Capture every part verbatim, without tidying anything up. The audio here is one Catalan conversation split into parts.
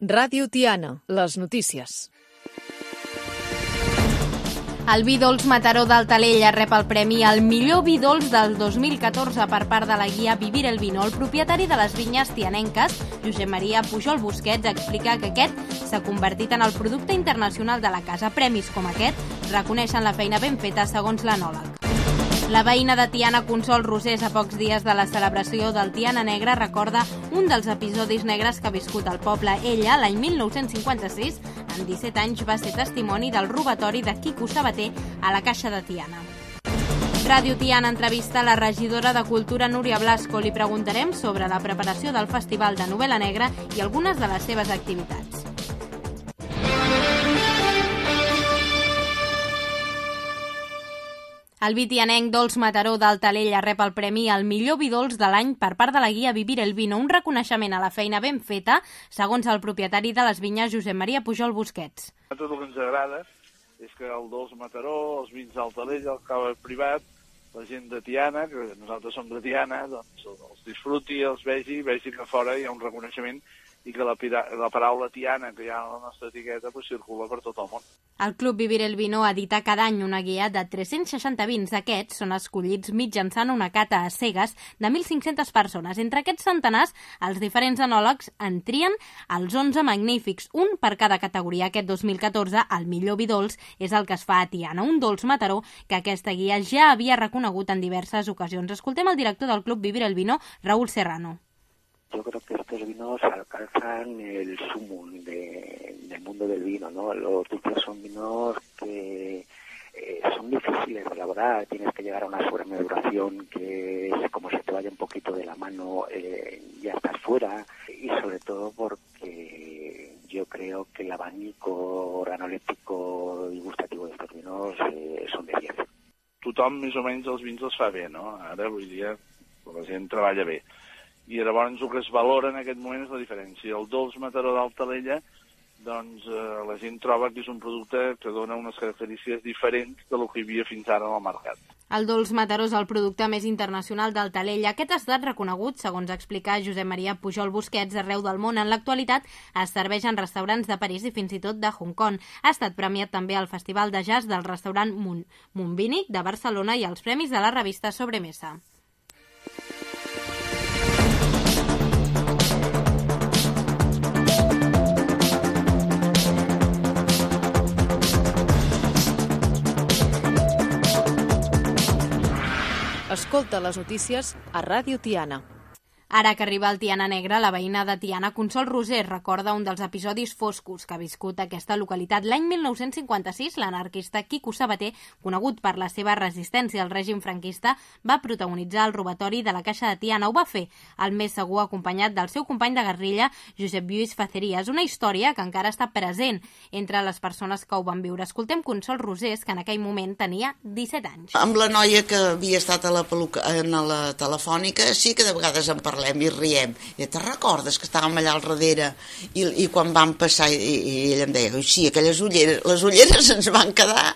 Ràdio Tiana, les notícies. El vi dolç Mataró d'Altalella rep el premi al millor vi dolç del dos mil catorze per part de la guia Vivir el Vino. El propietari de les vinyes tianenques, Josep Maria Pujol Busquets, explica que aquest s'ha convertit en el producte internacional de la casa. Premis com aquest reconeixen la feina ben feta, segons l'enòleg. La veïna de Tiana, Consol Rosés, a pocs dies de la celebració del Tiana Negre, recorda un dels episodis negres que ha viscut el poble. Ella, l'any mil nou-cents cinquanta-sis, amb disset anys, va ser testimoni del robatori de Quico Sabater a la Caixa de Tiana. Ràdio Tiana entrevista la regidora de Cultura, Núria Blasco. Li preguntarem sobre la preparació del Festival de Novel·la Negra i algunes de les seves activitats. El vi tianenc Dolç Mataró d'Altalella rep el premi al millor vi dolç de l'any per part de la guia Vivir el Vino, un reconeixement a la feina ben feta, segons el propietari de les vinyes, Josep Maria Pujol Busquets. A tot el que ens agrada és que el Dolç Mataró, els vins d'Altalella, el cava privat, la gent de Tiana, que nosaltres som de Tiana, doncs els disfruti, els vegi, vegi que a fora hi ha un reconeixement i que la, la paraula Tiana que hi ha a la nostra etiqueta pues, circula per tot el món. El Club Vivir el Vino edita cada any una guia de tres-cents seixanta vins. Aquests són escollits mitjançant una cata a cegues de mil cinc-centes persones. Entre aquests centenars, els diferents enòlegs en trien els onze magnífics, un per cada categoria. Aquest dos mil catorze, el millor vi dolç és el que es fa a Tiana, un dolç Mataró que aquesta guia ja havia reconegut en diverses ocasions. Escoltem el director del Club Vivir el Vino, Raúl Serrano. Yo creo que estos vinos alcanzan el sumum de, del mundo del vino, ¿no? Los dulces son vinos que eh, son difíciles de elaborar, tienes que llegar a una fermentación que es como si te vaya un poquito de la mano, eh, ya estás fuera, y sobre todo porque yo creo que el abanico organolèptico y gustativo de estos vinos eh, son de diez. Tothom més o menys els vins els fa bé, no? Ara, avui dia, la gent treballa bé. I llavors el que es valora en aquest moment és la diferència. El Dolç Mataró d'Altalella, doncs eh, la gent troba que és un producte que dona unes característiques diferents del que hi havia fins ara al mercat. El Dolç Mataró és el producte més internacional d'Altalella. Aquest ha estat reconegut, segons explica Josep Maria Pujol Busquets, arreu del món. En l'actualitat es serveix en restaurants de París i fins i tot de Hong Kong. Ha estat premiat també al Festival de Jazz del restaurant Moon, Moonbinic de Barcelona i als premis de la revista Sobremesa. Escolta les notícies a Ràdio Tiana. Ara que arriba el Tiana Negre, la veïna de Tiana, Consol Rosés, recorda un dels episodis foscos que ha viscut aquesta localitat. L'any mil nou-cents cinquanta-sis, l'anarquista Quico Sabater, conegut per la seva resistència al règim franquista, va protagonitzar el robatori de la Caixa de Tiana. Ho va fer el més segur acompanyat del seu company de guerrilla, Josep Lluís Facerías. Una història que encara està present entre les persones que ho van viure. Escoltem Consol Rosés, que en aquell moment tenia disset anys. Amb la noia que havia estat a la, peluca, a la telefònica, sí que de vegades en parlem i riem. I te recordes que estàvem allà al darrere i, i quan vam passar i, i ella em deia, sí, aquelles ulleres, les ulleres ens van quedar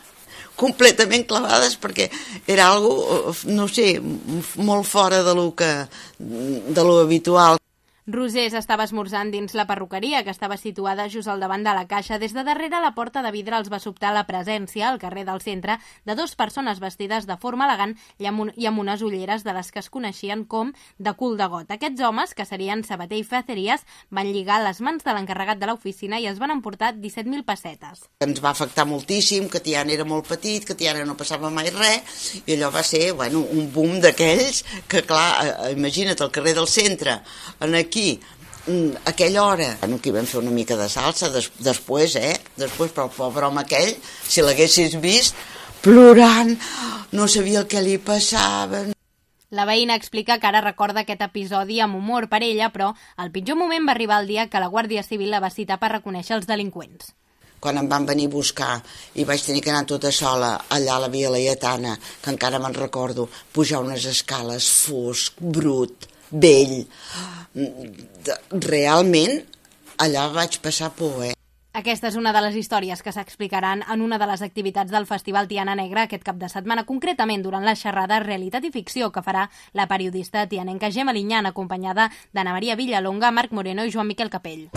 completament clavades perquè era algo, no sé, molt fora de lo que de lo habitual. Rosés estava esmorzant dins la perruqueria, que estava situada just al davant de la caixa. Des de darrere la porta de vidre els va sobtar la presència, al carrer del centre, de dues persones vestides de forma elegant i amb, un, i amb unes ulleres de les que es coneixien com de cul de got. Aquests homes, que serien Sabater i Facerías, van lligar les mans de l'encarregat de l'oficina i es van emportar disset mil pessetes. Ens va afectar moltíssim, que Tiana era molt petit, que Tiana no passava mai res, i allò va ser, bueno, un boom d'aquells que, clar, imagina't, al carrer del centre, en aquí, a aquella hora, bueno, aquí vam fer una mica de salsa, des, després, eh? Després, però el pobre home aquell, si l'haguessis vist, plorant, no sabia el que li passava. La veïna explica que ara recorda aquest episodi amb humor per ella, però el pitjor moment va arribar el dia que la Guàrdia Civil la va citar per reconèixer els delinqüents. Quan em van venir a buscar i vaig tenir que anar tota sola allà a la Via Laietana, que encara me'n recordo, pujar unes escales, fosc, brut, vell. Realment, allà vaig passar por, eh? Aquesta és una de les històries que s'explicaran en una de les activitats del Festival Tiana Negra aquest cap de setmana, concretament durant la xerrada Realitat i Ficció que farà la periodista tianenca Gemma Liñán, acompanyada d'Anna Maria Villalonga, Marc Moreno i Joan Miquel Capell.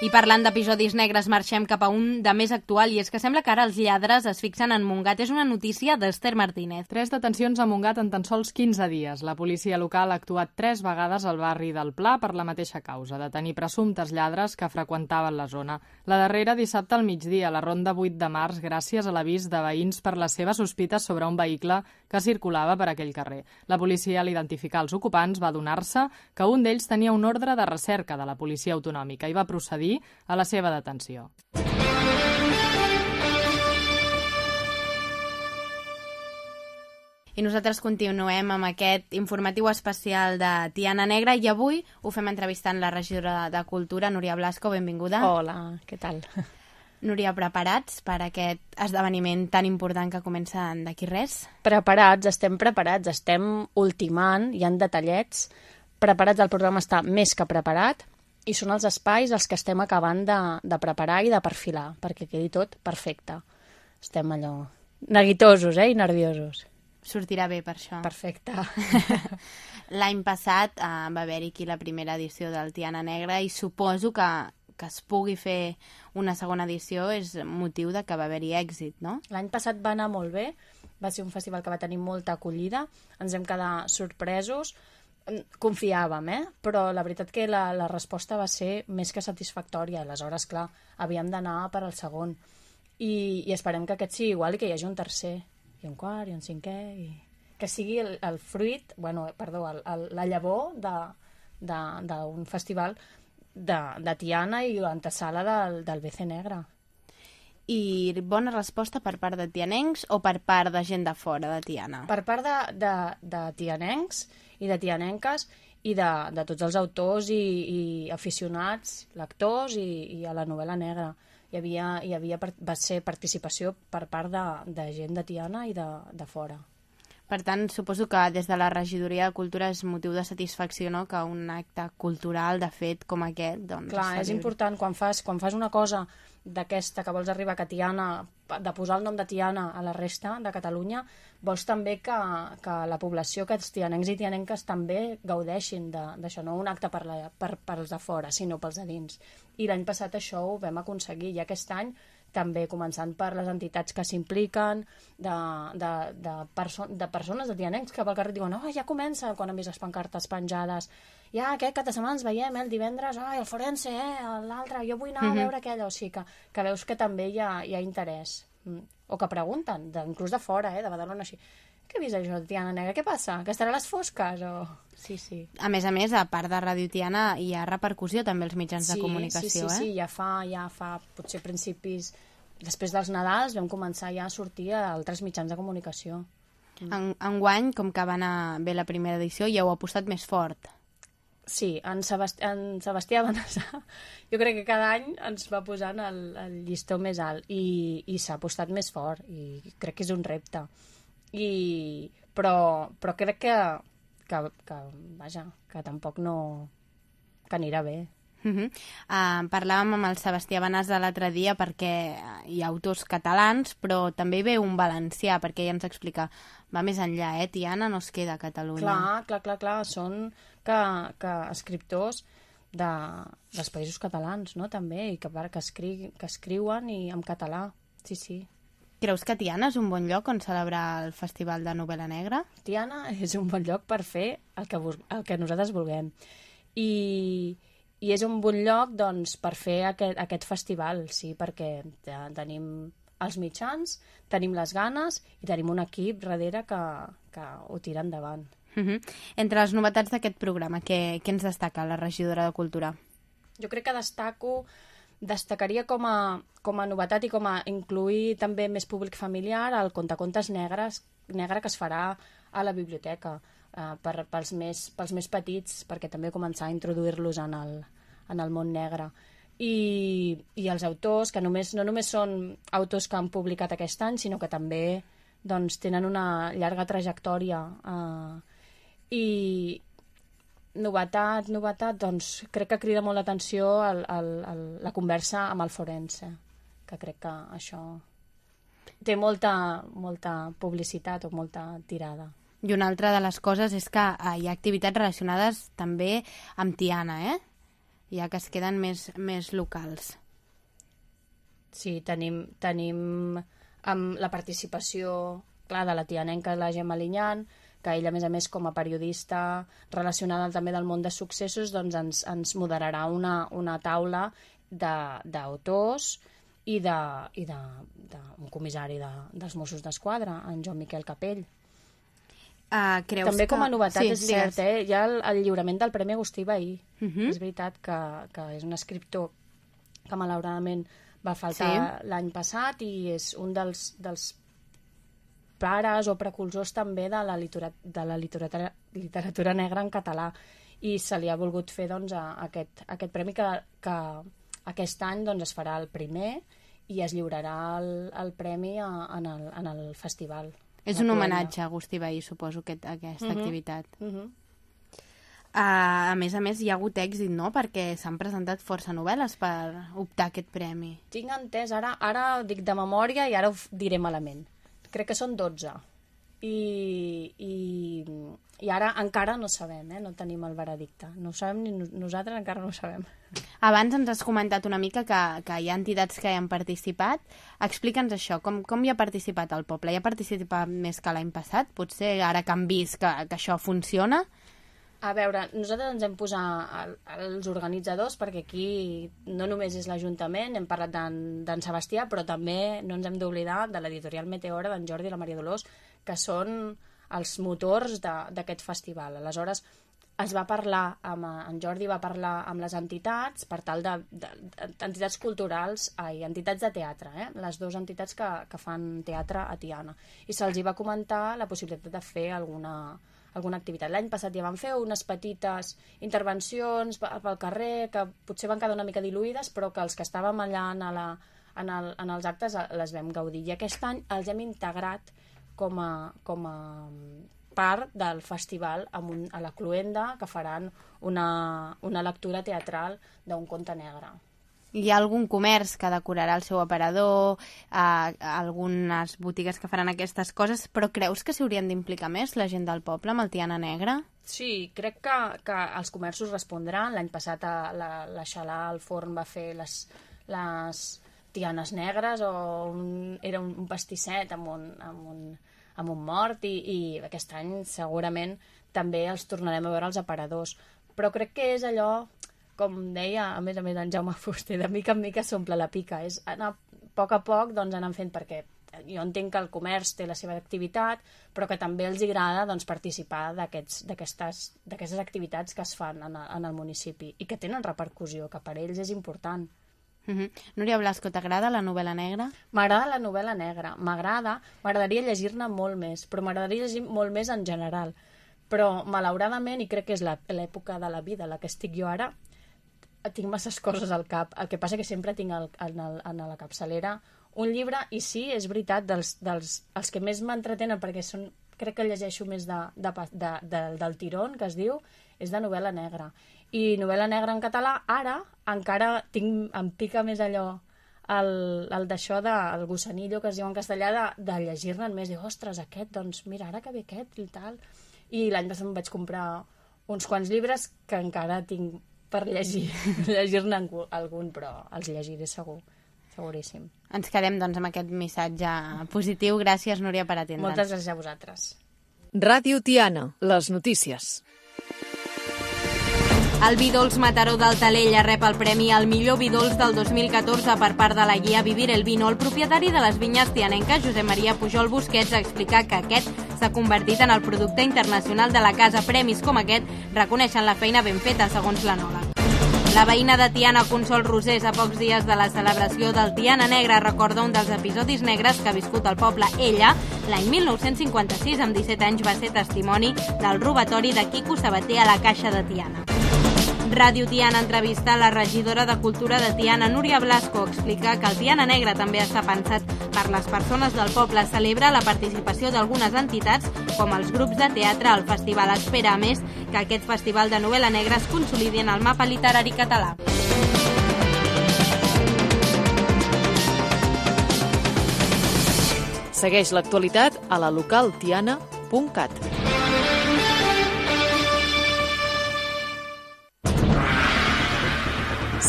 I parlant d'episodis negres, marxem cap a un de més actual, i és que sembla que ara els lladres es fixen en Montgat. És una notícia d'Ester Martínez. Tres detencions a Montgat en tan sols quinze dies. La policia local ha actuat tres vegades al barri del Pla per la mateixa causa, de tenir presumptes lladres que freqüentaven la zona. La darrera dissabte al migdia, a la ronda vuit de març, gràcies a l'avís de veïns per les seves sospites sobre un vehicle que circulava per aquell carrer. La policia, al identificar els ocupants, va adonar-se que un d'ells tenia un ordre de recerca de la policia autonòmica i va procedir a la seva detenció. I nosaltres continuem amb aquest informatiu especial de Tiana Negra i avui ho fem entrevistant la regidora de Cultura, Núria Blasco. Benvinguda. Hola, què tal? Núria, preparats per aquest esdeveniment tan important que comença d'aquí res? Preparats, estem preparats, estem ultimant, hi ha detallets. Preparats, el programa està més que preparat. I són els espais els que estem acabant de, de preparar i de perfilar, perquè quedi tot perfecte. Estem allò neguitosos, eh, i nerviosos. Sortirà bé per això. Perfecte. L'any passat eh, va haver-hi aquí la primera edició del Tiana Negra i suposo que, que es pugui fer una segona edició és motiu de que va haver-hi èxit, no? L'any passat va anar molt bé, va ser un festival que va tenir molta acollida, ens vam quedar sorpresos, confiàvem, eh? Però la veritat que la, la resposta va ser més que satisfactòria. Aleshores, clar, havíem d'anar per al segon. I, i esperem que aquest sigui igual i que hi hagi un tercer, i un quart, i un cinquè, i que sigui el, el fruit, bueno, perdó, el, el, la llavor d'un festival de, de Tiana i l'antesala del, del B C Negre. I bona resposta per part de tianencs o per part de gent de fora de Tiana? Per part de, de, de tianencs i de tianenques i de, de tots els autors i, i aficionats, lectors i, i a la novel·la negra. Hi havia, hi havia, va ser participació per part de, de gent de Tiana i de, de fora. Per tant, suposo que des de la Regidoria de Cultura és motiu de satisfacció, no?, que un acte cultural, de fet, com aquest, doncs... Clar, és important, quan fas, quan fas una cosa d'aquesta, que vols arribar a Tiana, de posar el nom de Tiana a la resta de Catalunya, vols també que, que la població, que els tianencs i tianenques també gaudeixin d'això, no un acte per, la, per, per els de fora, sinó pels de dins. I l'any passat això ho vam aconseguir, i aquest any també començant per les entitats que s'impliquen, de, de, de, perso de persones, de tianencs que pel carrer diuen oh, ja comença, quan han vist les pancartes penjades, ja aquest cap de setmana ens veiem, eh, el divendres, oh, el forense, eh, l'altre, jo vull anar a veure aquella, o sigui que, que veus que també hi ha, hi ha interès, o que pregunten, de, inclús de fora, eh, de Badalona, així, què he vist això de Tiana Negra, què passa? Que estarà a les fosques? O... Sí, sí. A més a més, a part de Ràdio Tiana, hi ha repercussió també als mitjans sí, de comunicació, sí, sí, eh? Sí, ja fa, ja fa potser principis, després dels Nadals vam començar ja a sortir a altres mitjans de comunicació. En, enguany, com que va anar bé la primera edició, ja ho ha apostat més fort. Sí, en, Sebasti en Sebastià Benassar jo crec que cada any ens va posant el, el llistó més alt i, i s'ha apostat més fort i crec que és un repte. I, però, però crec que, que, que, vaja, que tampoc no... que anirà bé. Uh -huh. uh, parlàvem amb el Sebastià Benassar l'altre dia perquè hi ha autors catalans, però també hi ve un valencià, perquè ja ens explica, va més enllà, eh? Tiana no es queda a Catalunya. Clar, clar, clar, clar. Són que, que escriptors de, dels països catalans, no?, també, i que, que, escri, que escriuen i en català, sí, sí. Creus que Tiana és un bon lloc on celebrar el Festival de Novel·la Negra? Tiana és un bon lloc per fer el que, el que nosaltres vulguem. I... I és un bon lloc, doncs, per fer aquest, aquest festival, sí, perquè ja tenim els mitjans, tenim les ganes i tenim un equip darrere que, que ho tira endavant. Uh -huh. Entre les novetats d'aquest programa, què, què ens destaca la regidora de Cultura? Jo crec que destaco, destacaria com a, com a novetat i com a incluir també més públic familiar el contacontes negres, negre que es farà a la biblioteca. Uh, per, pels, més, pels més petits, perquè també començar a introduir-los en, el, en el món negre. I, i els autors, que només, no només són autors que han publicat aquest any, sinó que també doncs, tenen una llarga trajectòria. Uh, i, novetat, novetat, doncs crec que crida molt l'atenció el, el, el, la conversa amb el forense, que crec que això té molta, molta publicitat o molta tirada. I una altra de les coses és que eh, hi ha activitats relacionades també amb Tiana, eh? Ja que es queden més, més locals. Sí, tenim, tenim amb la participació, clar, de la tianenca, la Gemma Liñán, que ella, a més a més, com a periodista relacionada també del món de successos, doncs ens, ens moderarà una, una taula d'autors i d'un de, i de, de, un comissari de, dels Mossos d'Esquadra, en Joan Miquel Capell. Uh, creus També que... com a novetat, sí, és cert, eh? Hi ha el, el lliurament del Premi Agustí Bahí. Uh -huh. És veritat que, que és un escriptor que malauradament va faltar sí. l'any passat i és un dels, dels pares o precursors també de la, literatura, de la literatura, literatura negra en català, i se li ha volgut fer doncs, a, a aquest, a aquest premi que, que aquest any doncs, es farà el primer i es lliurarà el, el premi a, en, el, en el festival. És un homenatge a Agustí Bahí, suposo, aquest, aquesta uh-huh. activitat. Uh-huh. Uh, a més a més, hi ha hagut èxit, no?, perquè s'han presentat força novel·les per optar a aquest premi. Tinc entès, ara, ara dic de memòria i ara ho diré malament. Crec que són dotze. I, i, i ara encara no sabem, eh? No tenim el veredicte. No ho sabem ni nosaltres, encara no ho sabem. Abans ens has comentat una mica que, que hi ha entitats que hi han participat. Explica'ns això, com, com hi ha participat el poble? Hi ha participat més que l'any passat? Potser ara que han vist que, que això funciona? A veure, nosaltres ens hem posat els organitzadors, perquè aquí no només és l'Ajuntament, hem parlat d'en Sebastià, però també no ens hem d'oblidar de l'editorial Meteora, d'en Jordi i la Maria Dolors, que són els motors d'aquest festival. Aleshores, es va parlar, amb, en Jordi va parlar amb les entitats, per tal de, de, de entitats culturals, ai, entitats de teatre, eh? Les dues entitats que, que fan teatre a Tiana. I se'ls hi va comentar la possibilitat de fer alguna, alguna activitat. L'any passat ja van fer unes petites intervencions pel carrer, que potser van quedar una mica diluïdes, però que els que estàvem allà en, la, en, el, en els actes les vam gaudir. I aquest any els hem integrat com a, com a part del festival amb un, a la Cluenda, que faran una, una lectura teatral d'un conte negre. Hi ha algun comerç que decorarà el seu aparador, eh, algunes botigues que faran aquestes coses, però creus que s'hi haurien d'implicar més la gent del poble amb el Tiana Negra? Sí, crec que, que els comerços respondran. L'any passat a la, la Xalà, al forn, va fer les, les tianes negres, o un, era un, un pastisset amb un, amb un, amb un mort, i, i aquest any segurament també els tornarem a veure als aparadors. Però crec que és allò, com deia a més a més en Jaume Fuster, de mica en mica s'omple la pica, és anar a poc a poc doncs, anant fent, perquè jo entenc que el comerç té la seva activitat, però que també els agrada doncs, participar d'aquestes activitats que es fan en el, en el municipi i que tenen repercussió, que per ells és important. Uh-huh. Núria Blasco, t'agrada la novel·la negra? M'agrada la novel·la negra, m'agrada, m'agradaria llegir-ne molt més, però m'agradaria llegir molt més en general. Però, malauradament, i crec que és l'època de la vida en la que estic jo ara, tinc masses coses al cap. El que passa que sempre tinc el, en, el, en la capçalera un llibre, i sí, és veritat, dels, dels, els que més m'entretenen, perquè són, crec que llegeixo més de, de, de, de, del tirón, que es diu, és de novel·la negra. I novel·la negra en català, ara, encara tinc, em pica més allò, el, el d'això, de, el gossanillo, que es diu en castellà, de, de llegir-ne més, dic, ostres, aquest, doncs mira, ara que ve aquest i tal. I l'any passat em vaig comprar uns quants llibres que encara tinc per llegir, llegir-ne algun, però els llegiré segur, seguríssim. Ens quedem, doncs, amb aquest missatge positiu. Gràcies, Núria, per atendre'ns. Moltes gràcies a vosaltres. Ràdio Tiana, les notícies. El vi dolç Mataró d'Altalella rep el premi al millor vi dolç del dos mil catorze per part de la guia Vivir el Vino. El propietari de les vinyes tianenques, Josep Maria Pujol Busquets, explica que aquest s'ha convertit en el producte internacional de la casa. Premis com aquest reconeixen la feina ben feta, segons l'enòleg. La veïna de Tiana, Consol Rosés, a pocs dies de la celebració del Tiana Negra, recorda un dels episodis negres que ha viscut el poble. Ella, l'any mil nou-cents cinquanta-sis, amb disset anys, va ser testimoni del robatori de Quico Sabater a la Caixa de Tiana. Ràdio Tiana entrevista a la regidora de Cultura de Tiana, Núria Blasco. Explica que el Tiana Negre també està pensat per les persones del poble. Celebra la participació d'algunes entitats, com els grups de teatre al festival. Espera, a més, que aquest festival de novel·la negra es consolidi en el mapa literari català. Segueix l'actualitat a la local tiana punt cat.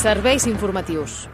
Serveis informatius.